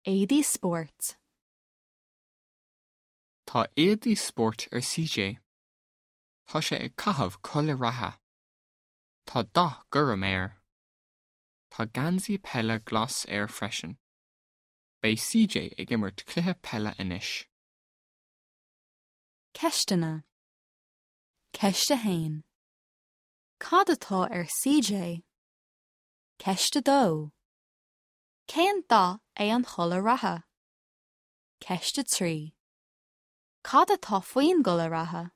Éadaí spóirt. Tá éadaí spóirt ar CJ. Tá sé ag caitheamh culaith reatha. Tá dath gorm air. Tá geansaí peile glas air freisin. Beidh CJ ag imirt cluiche peile anois. Ceisteanna. Ceist 1. Cad atá ar CJ? Ceist 2. Cén dath é an chulaith reatha? Ceist 3. Cad atá faoin gculaith reatha?